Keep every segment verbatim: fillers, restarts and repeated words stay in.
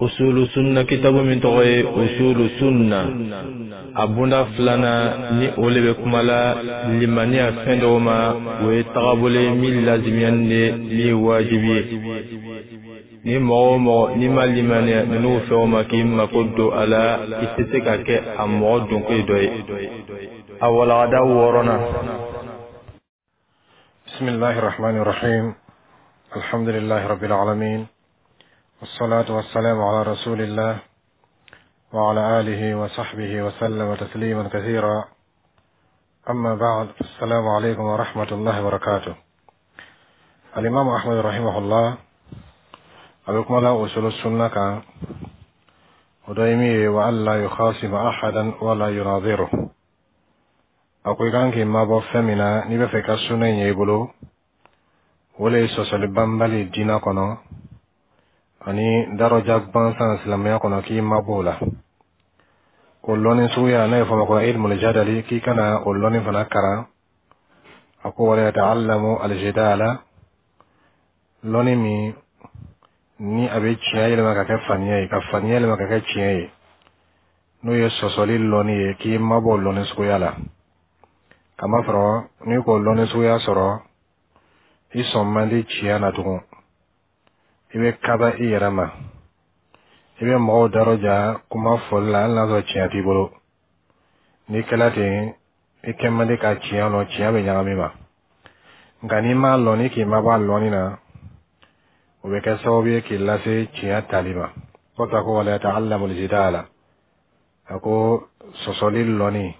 Usulu sunna kitabu min tɔgɔ ye Usulu sunna, a bunda filanan ni o le bɛ kuma la limaniya fɛn dɔw ma, o ye tagabolo ye min lazimiyani de, min ye wajibi ye. Ni mɔgɔ o mɔgɔ n'i ma limaniya ninnu fɛnw ma k'i mako don a la, i tɛ se ka kɛ a mɔgɔ donko dɔ ye. A walagada wɔɔrɔnan. بسم الله الرحمن الرحيم، الحمد لله رب العالمين، والصلاة والسلام على رسول الله وعلى آله وصحبه وسلم تسليما كثيرا. أما بعد، السلام عليكم ورحمة الله وبركاته. الإمام أحمد رحمه الله أبيكم الله أصول السنة كان ودائمي وألا يخاصم أحدا ولا يناظره. A ko i kan k'i mabɔ fɛn min na n'i bɛ fɛ i ka sunna in ye i bolo, o le ye sɔsɔli banbali diinɛ kɔnɔ ani daraja gbansan silamɛya kɔnɔ, k'i mabɔ o la. O lɔnni suguya n'a ye fɔ ma ko ilmul jadali, k'i kana o lɔnni fana karan. A ko wala yata'allamu aljidala, lɔnni min ni a bɛ tiɲɛ yɛlɛma ka kɛ faniya ye, ka faniya yɛlɛma ka kɛ tiɲɛ ye, n'o ye sɔsɔli lɔnni ye, k'i mabɔ o lɔnni suguya la. Kamasɔrɔ n'i k'o lɔnni suguya sɔrɔ, i sɔn man di tiɲɛ na tugun, i bɛ kaba i yɛrɛ ma, i bɛ mɔgɔw daraja kuma fɔli la, hali n'a sɔrɔ tiɲɛ t'i bolo. N'i kɛla ten, i kɛ man di ka tiɲɛ lɔn, tiɲɛ bɛ ɲagami ma. Nka n'i m'a lɔn, ni k'i mabɔ a lɔnni na, o bɛ kɛ sababu ye k'i lase tiɲɛ tali ma. Kɔfɛ a ko wala yata'allamu al-jidala, a ko sɔsɔli lɔnni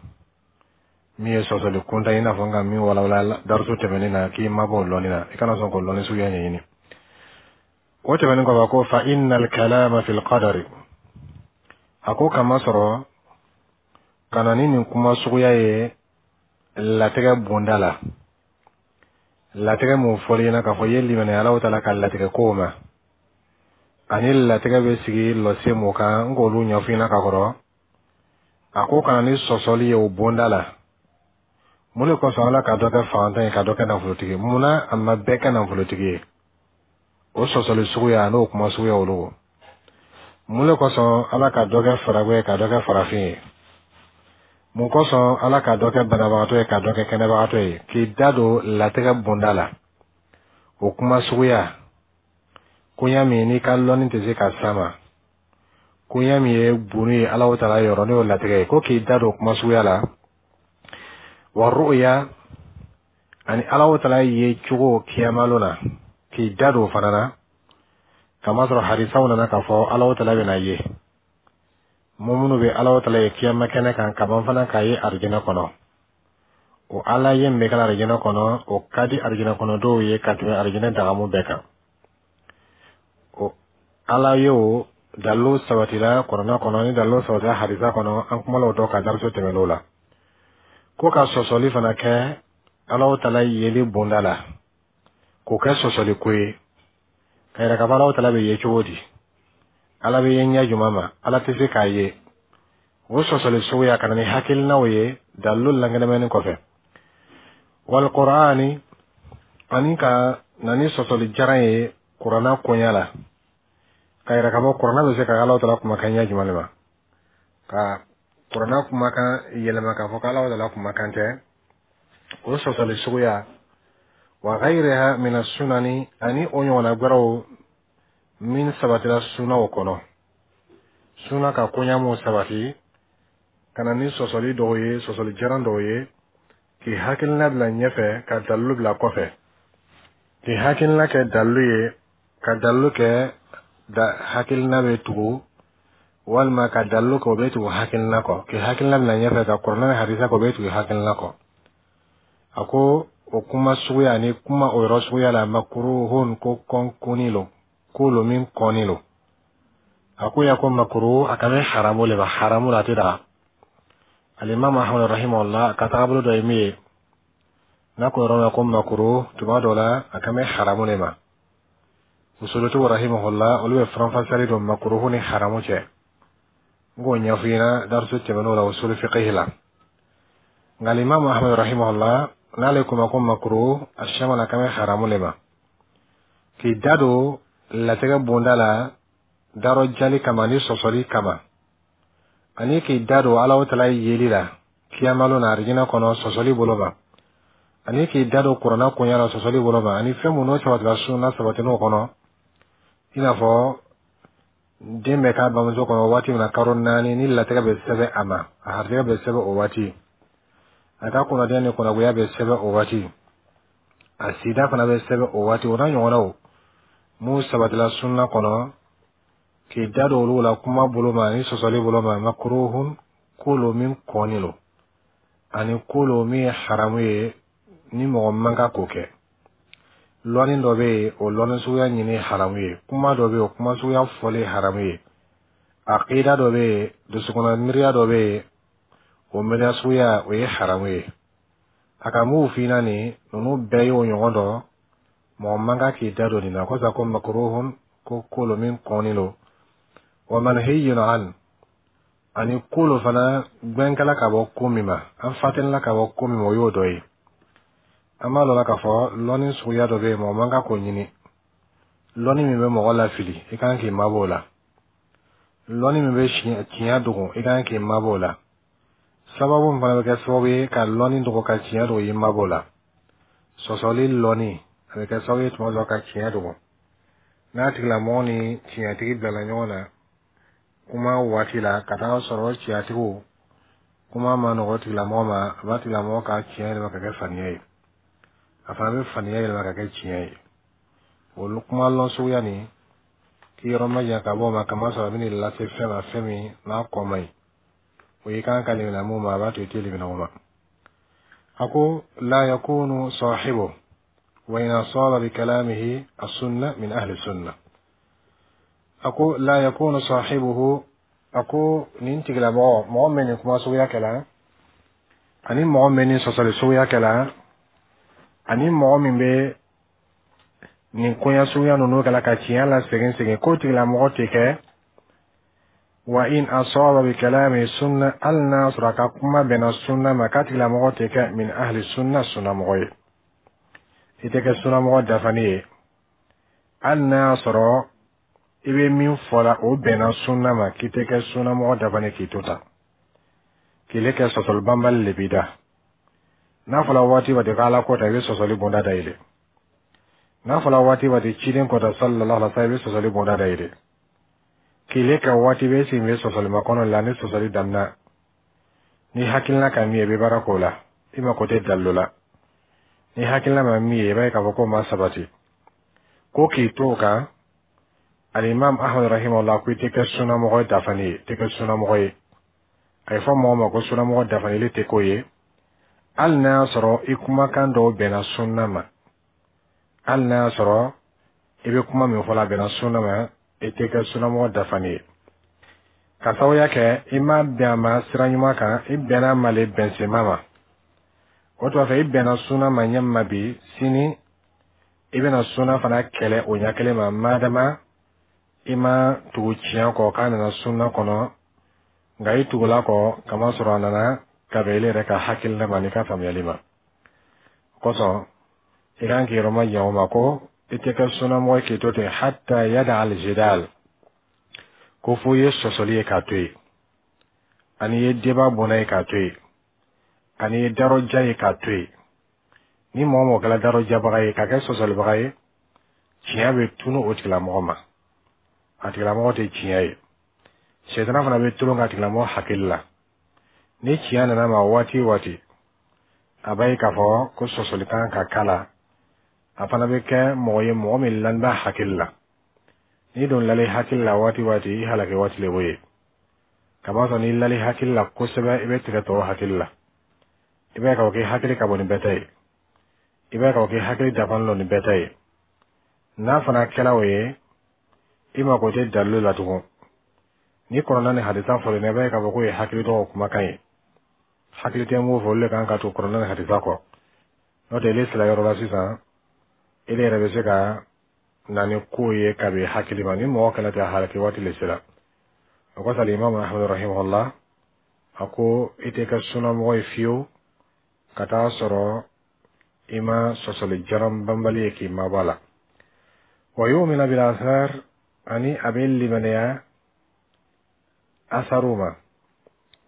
min ye sɔsɔli kunta, i n'a fɔ n ka min walawala darisu tɛmɛnen na, k'i mabɔ o lɔnni na, i kana sɔn k'o lɔnni suguya ɲɛɲini. O tɛmɛnen kɔfɛ, a ko fa innal kalama fil qadari, a ko kama sɔrɔ ka na ni nin kuma suguya ye latigɛ bonda la, latigɛ mun fɔli ɲɛna k'a fɔ i ye limaniya Alahu taala ka latigɛ kow ma, ani latigɛ bɛ sigi lɔse mun kan, n k'olu ɲɛfɔ ɲɛna ka kɔrɔ. A ko ka na ni sɔsɔli ye o bonda la, mun de kosɔn Ala ka dɔ kɛ fantan ye, ka dɔ kɛ nafolotigi? Munna a ma bɛɛ kɛ nafolotigi ye? O sɔsɔli suguya n'o kuma suguya olu, mun de kosɔn Ala ka dɔ kɛ faragɛ ye, ka dɔ kɛ farafin ye? Mun kosɔn Ala ka dɔ kɛ banabagatɔ ye, ka dɔ kɛ kɛnɛbagatɔ ye? K'i da don latigɛ bonda la, o kuma suguya, koɲa min n'i ka lɔnni tɛ se ka s'a ma, koɲa min ye bunu ye Alahu taala yɔrɔ, n'o ye latigɛ ye, ko k'i da don kuma suguya la, wa ru'ya, ani Alahu taala ye cogo kiyamalo na, k'i da don o fana na. Kamasɔrɔ hadisaw nana k'a fɔ Alahu taala bɛna ye, minnu bɛ Alahu taala ye kiyama kɛnɛ kan, kaban fana k'a ye arijinɛ kɔnɔ. O Ala ye min bɛ kɛ arijinɛ kɔnɔ, o ka di arijinɛ kɔnɔ dɔw ye ka tɛmɛ arijinɛ dagamu bɛɛ kan. O Ala ye, o dalilu sabatila Kuranɛ kɔnɔ, ni dalilu sabatila hadisa kɔnɔ. An kumala o dɔ kan dariso tɛmɛn'o la. Ko ka sɔsɔli fana kɛ Alahu taala yeli bonda la, k'o kɛ sɔsɔli ko ye, ka yɛrɛ ka fɔ Alahu taala bɛ ye cogo di, Ala bɛ ye ɲɛ jumɛn ma, Ala tɛ se k'a ye, o sɔsɔli suguya, ka na ni hakilinaw ye dalilu lankɛnɛmɛni kɔfɛ. Wal qur'ani, ani ka na ni sɔsɔli jaran ye kuranna koɲa la, ka yɛrɛ ka fɔ kuranna bɛ se ka Alahu taala kumakan ɲɛ jumɛn de ma, ka kuranna kumakan yɛlɛma k'a fɔ k'Alahu taala kumakan tɛ, o sɔsɔli suguya. Wa ghayriha min sunani, ani o ɲɔgɔnna wɛrɛw min sabatira sunaw kɔnɔ, suna ka koɲa mun sabati, ka na ni sɔsɔli dɔw ye, sɔsɔli jaran dɔw ye, k'i hakilina bila ɲɛfɛ ka dalilu bila kɔfɛ, k'i hakilina kɛ dalilu ye, ka dalilu kɛ da hakilina bɛ tugu, walima ka dalilu kɛ o bɛ tugu hakilina kɔ, k'i hakilina bila ɲɛfɛ ka kuranɛ ni hadisa kɛ o bɛ tugu hakilina kɔ. A ko o kuma suguya ni kuma o yɔrɔ suguya la, makruhun, ko kɔnkuni lo, ko lo min kɔnni lo. A ko ya ko makruh, a kan bɛ haramu le ma, haramu la, a tɛ daga. Alimami Ahmad rahimahullah ka tagabolo dɔ ye min ye, n'a ko yɔrɔ la ko makruh, tuma dɔ la a kan bɛ haramu le ma. Usulutigiw rahimahullah, olu bɛ faranfasiyali don makruhu ni haramu cɛ. N k'o ɲɛfɔ ɲɛna darisu tɛmɛn'o la usul fiqh la. Nka alimami Ahmad rahimahullah, n'ale ko ma ko makruh, a siyaman a kan bɛ haramu le ma. K'i da don latigɛ bonda la. Darɔjali kama ni sɔsɔli kama, ani k'i da don Alahu Taala yeli la kiyamalon na arijinɛ kɔnɔ sɔsɔli bolo ma, ani k'i da don Kuranna koɲɛ la sɔsɔli bolo ma, ani fɛn minnu sabatila sunna sabatin'o kɔnɔ, i n'a fɔ den bɛ k'a bamuso kɔnɔ waati min na, karo naani, ni latigɛ bɛ sɛbɛn a ma, a harijɛgɛ bɛ sɛbɛn o waati, a ka kunnadiya ni kunnagoya bɛ sɛbɛn o waati, a sida fana bɛ sɛbɛn o waati, o n'a ɲɔgɔnnaw mun sabatila sunna kɔnɔ, k'i da don olu la kuma bolo ma ani sɔsɔli bolo ma, makruhun, ko lo min kɔni lo, ani ko lo min ye haramu ye ni mɔgɔ man kan k'o kɛ. Lɔnni dɔ bɛ yen, o lɔnni suguya ɲini haramu ye. Kuma dɔ bɛ yen, o kuma suguya fɔli haramu ye. Akida dɔ bɛ yen, dusukunna miiriya dɔ bɛ yen, o miiriya suguya, o ye haramu ye. A ka mun f'i ɲɛna, nin ninnu bɛɛ y'o ɲɔgɔn dɔ, mɔgɔ man kan k'i da don nin na kosa. Ko makruhun, ko ko lo min kɔnni lo, wa manhiyun an, ani ko lo fana gbɛnkɛla ka bɔ ko min ma, an fatinila ka bɔ ko min ma, o y'o dɔ ye. An b'a lɔn k'a fɔ lɔnni suguya dɔ bɛ yen, mɔgɔ man kan k'o ɲini. Lɔnni min bɛ mɔgɔ lafili, i kan k'i mabɔ o la. Lɔnni min bɛ tiɲɛ dogo, i kan k'i mabɔ o la. Sababu min fana bɛ kɛ sababu ye ka lɔnni dogo, ka tiɲɛ dogo, i mabɔ o la. Sɔsɔli lɔnni, a bɛ kɛ sababu ye tuma dɔ ka tiɲɛ dogo. N'a tigilamɔgɔ ni tiɲɛtigi bilala ɲɔgɔn na kuma waati la, ka taa sɔrɔ tiɲɛtigiw kuma ma nɔgɔ tigilamɔgɔ ma, a b'a tigilamɔgɔ ka tiɲɛ yɛlɛma ka kɛ faniya ye, a fana bɛ faniya yɛlɛma ka kɛ tiɲɛ ye. Olu kuma lɔn suguya nin, k'i yɔrɔ ma jan ka bɔ o ma, kamasɔrɔ a bɛ n'i lase fɛn ma, fɛn min n'a kɔ man ɲi, o y'i kan ka limaniya mun ma, a b'a to i tɛ limaniya o ma. A ko la yakunu sahibu wa in asaba bi kalamihi as-sunna min ahli sunna. A ko la yakunu sahibuhu, a ko nin tigilamɔgɔ, mɔgɔ min nin kuma suguya kɛla, ani mɔgɔ min nin sɔsɔli suguya kɛla, ani mɔgɔ min bɛ nin koɲɛ suguya ninnu kɛla ka tiɲɛ la segin segin, k'o tigilamɔgɔ tɛ kɛ, wa in asaba bi kalami sunna, hali n'a sɔrɔ a ka kuma bɛnna sunna ma, k'a tigilamɔgɔ tɛ kɛ min ahli sunna, sunnamɔgɔ ye. I tɛ kɛ sunnamɔgɔ dafanen ye hali n'a y'a sɔrɔ i bɛ min fɔ la, o bɛnna sunna ma, k'i tɛ kɛ sunnamɔgɔ dafanen k'i to tan k'i kɛ sɔsɔli banbali le b'i da. N'a fɔra waati waati k'Ala ko ta, i bɛ sɔsɔli bonda dayɛlɛ. N'a fɔra waati waati ciden kɔta sallallahu alaihi wa sallam, i bɛ sɔsɔli bonda dayɛlɛ. Kile ka waati bɛ sigi bɛ sɔsɔli makɔnɔ la. Ni sɔsɔli daminɛ ni hakilina ka min ye, i bɛ baara k'o la, i mako tɛ dalilu la. Ni hakilina ma min ye, i b'a ye k'a fɔ k'o ma sabati ko k'i to o kan. Alimam Ahmad rahimahullah ko i tɛ kɛ sunnamɔgɔ dafanen ye, i tɛ kɛ sunnamɔgɔ ye. A ye fɔ mɔgɔ ma ko sunnamɔgɔ dafanen tɛ k'o ye hali n'a y'a sɔrɔ i kumakan dɔw bɛnna sunna ma, hali n'a y'a sɔrɔ i bɛ kuma min fɔ la, a bɛnna sunna ma, i tɛ kɛ sunnamɔgɔ dafanen ye, ka sababuya kɛ i ma bɛn a ma sira ɲuman kan, i bɛnna a ma le bɛnsenma ma. O tuma fɛ, i bɛnna sunna ma ɲɛ min ma bi, sini i bɛna sunna fana kɛlɛ o ɲɛ kelen ma, madama i ma tugu tiɲɛ kɔ k'a nana sunna kɔnɔ, nka i tugula kɔ kamasɔrɔ a nana ka bɛn ile yɛrɛ ka hakilina ma n'i ka faamuyali ma. O kosɔn i kan k'i yɔrɔ ma jan o ma, ko i tɛ kɛ sunnamɔgɔ ye k'i to ten, hatta yada al-jidal, ko fo i ye sɔsɔli ye k'a to yen, ani i ye débat bɔnna ye k'a to yen, ani i ye darɔja ye k'a to yen. Ni mɔgɔ mɔgɔ kɛra darɔjabaga ye ka kɛ sɔsɔlibaga ye, tiɲɛ bɛ tunu o tigilamɔgɔ ma, a tigilamɔgɔ tɛ tiɲɛ ye. Sɛtana fana bɛ tulon ka tigilamɔgɔ hakili la. Ni tiɲɛ nana ma waati o waati, a b'a ye k'a fɔ ko sɔsɔli kan ka k'a la, a fana bɛ kɛ mɔgɔ ye, mɔgɔ min lani b'a hakili la. N'i don lali hakili la waati waati, i halaki waati le b'o ye. Kamasɔrɔ n'i lali hakili la kosɛbɛ, i bɛ tigɛ tɔw hakili la. I b'a ye k'a fɔ k'i hakili ka bon ni bɛɛ ta ye, i b'a ye k'a fɔ k'i hakili dafalen don ni bɛɛ ta ye. N'a fana kɛra o ye, i mako tɛ dalilu la tugun. Ni kɔrɔna ni hadisa fɔlen, i b'a ye k'a fɔ k'o ye hakili tɔgɔ kumakan ye. Hakili tɛ mun fɔ, olu le kan ka to kɔrɔna ni hadisa kɔ. N'o tɛ, ile sira yɔrɔ la sisan, ile yɛrɛ bɛ se ka na ni ko ye ka bɛn hakili ma. Ni mɔgɔ kɛlɛ tɛ, halaki waati le sera. O kosɔn Imam Ahmad rahimahullah a ko i tɛ kɛ sunnamɔgɔ ye fiyewu ka taa sɔrɔ i ma sɔsɔli jaran banbali ye k'i mabɔ a la. Wa yu'minu bil athar. Ani a bɛ limaniya asaru ma.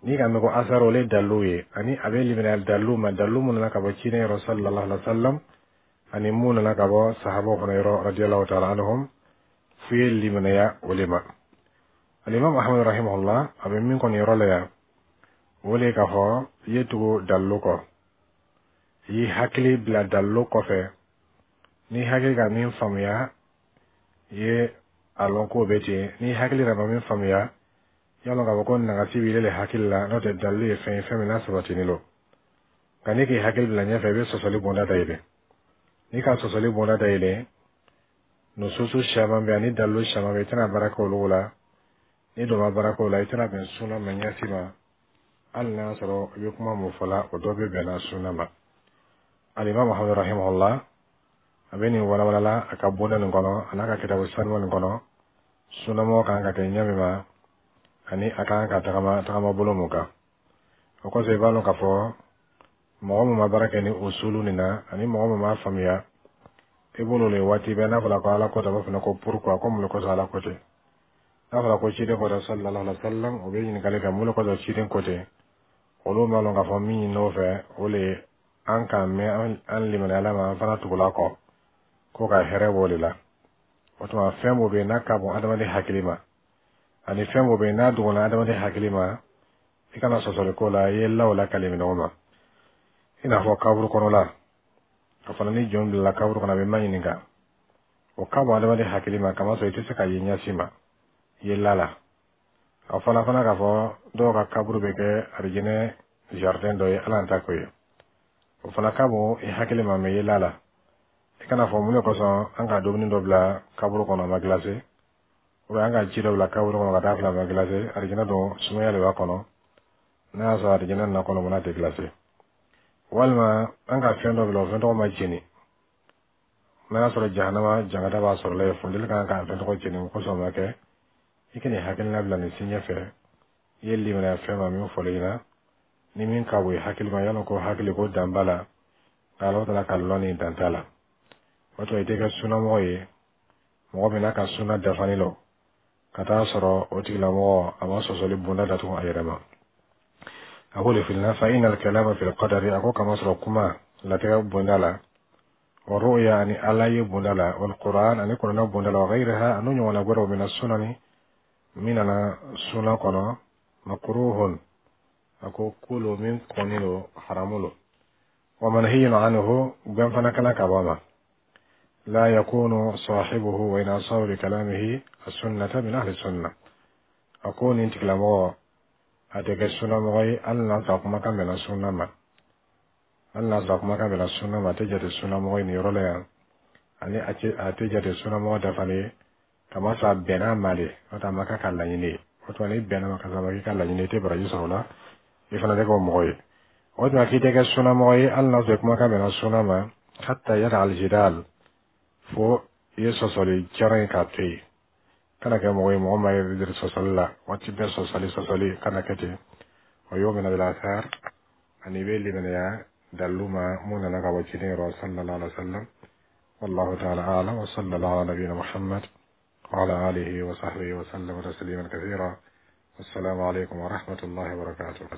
N'i ka mɛn ko asaru, o ye dalilu ye. Ani a bɛ limaniya dalilu ma, dalilu mun nana ka bɔ ciden yɔrɔ sallallahu alaihi wa sallam, ani mun nana ka bɔ sahabaw fana yɔrɔ radiyallahu ta'ala anhum, f'u ye limaniya o de ma. Alimami Ahmad rahimahullah, a bɛ min kɔni yɔrɔ la yan, o de ye k'a fɔ i ye tugu dalilu kɔ, i y'i hakili bila dalilu kɔfɛ. N'i hakili ka min faamuya, i ye a lɔn k'o bɛ ten. N'i hakili yɛrɛ ma min faamuya, i y'a lɔn k'a fɔ ko nagasi b'i le hakili la. N'o tɛ, dalilu ye fɛn ye, fɛn min n'a sabatinen don. Nka n'i k'i hakili bila ɲɛfɛ, i bɛ sɔsɔli bonda dayɛlɛ. N'i ka sɔsɔli bonda dayɛlɛ, nususu caman bɛ ani dalilu caman bɛ, i tɛna baara kɛ olu la. Ni dɔ ma baara kɛ o la, i tɛna bɛn sunna ma ɲɛsi ma, hali n'a y'a sɔrɔ i bɛ kuma mun fɔ la, o dɔ bɛ bɛnna sunna ma. Alimami Muhamadu rahimahullah, a bɛ nin walawalala a ka bonda nin kɔnɔ, a n'a ka kitabu sanuma nin kɔnɔ, sunnamɔgɔ kan ka kɛ ɲɛ min ma ani a kan ka tagama tagama bolo mun kan. O kɔfɛ, i b'a dɔn k'a fɔ mɔgɔ min ma baara kɛ ni usulu nin na, ani mɔgɔ min m'a faamuya, i b'olu le waati bɛɛ n'a fɔra ko Ala ko ten, a b'a fɔ ko pourquoi, ko mun de kosɔn Ala ko ten? N'a fɔra ko ciden ko ten sallallahu alaihi wa sallam, o bɛ ɲininkali kɛ mun de kosɔn ciden ko ten. Olu m'a lɔn k'a fɔ min ɲin'o fɛ, o le ye an k'an mɛn an limaniya Ala ma, an fana tugula kɔ ko ka hɛrɛ b'o de la. O tuma, fɛn o bɛ yen n'a ka bon adamaden hakili ma, ani fɛn o bɛ yen n'a dɔgɔnna adamaden hakili ma, i kana sɔsɔli ko la. I ye law la kali minɛ ma, i n'a fɔ kaburu kɔnɔla, a fana ni jɔn bilala kaburu kɔnɔ, a bɛ ma ɲininka, o ka bon adamaden hakili ma, kamasɔrɔ i tɛ se ka ye ɲɛsi ma, i ye la la. A fɔra fana k'a fɔ dɔw ka kaburu bɛ kɛ arijinɛ jardin dɔ ye, Ala ta ko ye. O fana ka bon i hakili ma, mɛ i ye la la. I kana fɔ mun de kosɔn an ka dumuni dɔ bila kaburu kɔnɔ, a ma glacé, ou an ka ji dɔ bila kaburu kɔnɔ ka taa fila, a ma glacé. Arijinɛ don, sumaya de b'a kɔnɔ. N'a y'a sɔrɔ arijinɛ na kɔnɔ, mun tɛ glacé? Walima an ka fɛn dɔ bila, o fɛn tɔgɔ ma jeni, n'a y'a sɔrɔ jahanama jangata b'a sɔrɔ la yen, funteni kan k'a fɛn tɔgɔ jeni, o kosɔn o ma kɛ. I kana hakilina bila nin si ɲɛfɛ. I ye limaniya fɛn ma min fɔlen ɲɛna, ni min ka bon i hakili ma, yala ko hakili ko dan b'a la, nka Ala taala ka lɔnni dan t'a la. O tuma, i tɛ kɛ sunnamɔgɔ ye, mɔgɔ min n'a ka sunna dafalen don, ka taa sɔrɔ o tigilamɔgɔ a ma sɔsɔli bonda datugu a yɛrɛ ma. A ko le filina fa inna al-kalama fil qadari, a ko kama sɔrɔ kuma latigɛ bonda la, wa ru'ya, ani Ala ye bonda la, wal Qur'an, ani kuranɛ bonda la, wa ghayriha, anu ɲɔgɔnna wɛrɛw, mina sunani, min nana sunna kɔnɔ, makruhun, a ko kolo min kɔni lo, haramu lo, wa manhiyun anhu, gɛn fana kana ka bɔ a ma, la yakunu sahibuhu wa in asaba bi kalamihi as-sunnata min ahli sunna. A ko nin tigilamɔgɔ a tɛ kɛ sunnamɔgɔ ye, hali n'a sɔrɔ kumakan bɛnna sunna ma. Hali n'a sɔrɔ kumakan bɛnna sunna ma, a tɛ jate sunnamɔgɔ ye nin yɔrɔ la yan, ani a tɛ jate sunnamɔgɔ dafalen ye, kamasɔrɔ a bɛnna ma de, n'o tɛ a ma k'a ka laɲini ye. O tuma, n'i bɛnna ma ka sɔrɔ a ma k'i ka laɲini ye, i tɛ baraji sɔrɔ o la, i fana tɛ kɛ o mɔgɔ ye. O tuma, k'i tɛ kɛ sunnamɔgɔ ye hali n'a sɔrɔ kumakan bɛnna sunna ma, hatta yada aljidal, fo i ye sɔsɔli jaran ye k'a to yen. Kana kɛ mɔgɔ ye, mɔgɔ ma ye sɔsɔli la waati bɛɛ, sɔsɔli sɔsɔli, kana kɛ ten. Wa yu'minu bil athar, ani i bɛ limaniya dalilu ma mun nana ka bɔ ciden yɔrɔ sallallahu alaihi wa sallam. والله تعالى أعلم، وصلى الله على نبينا محمد وعلى آله وصحبه وسلم تسليما كثيرا. والسلام عليكم ورحمة الله وبركاته.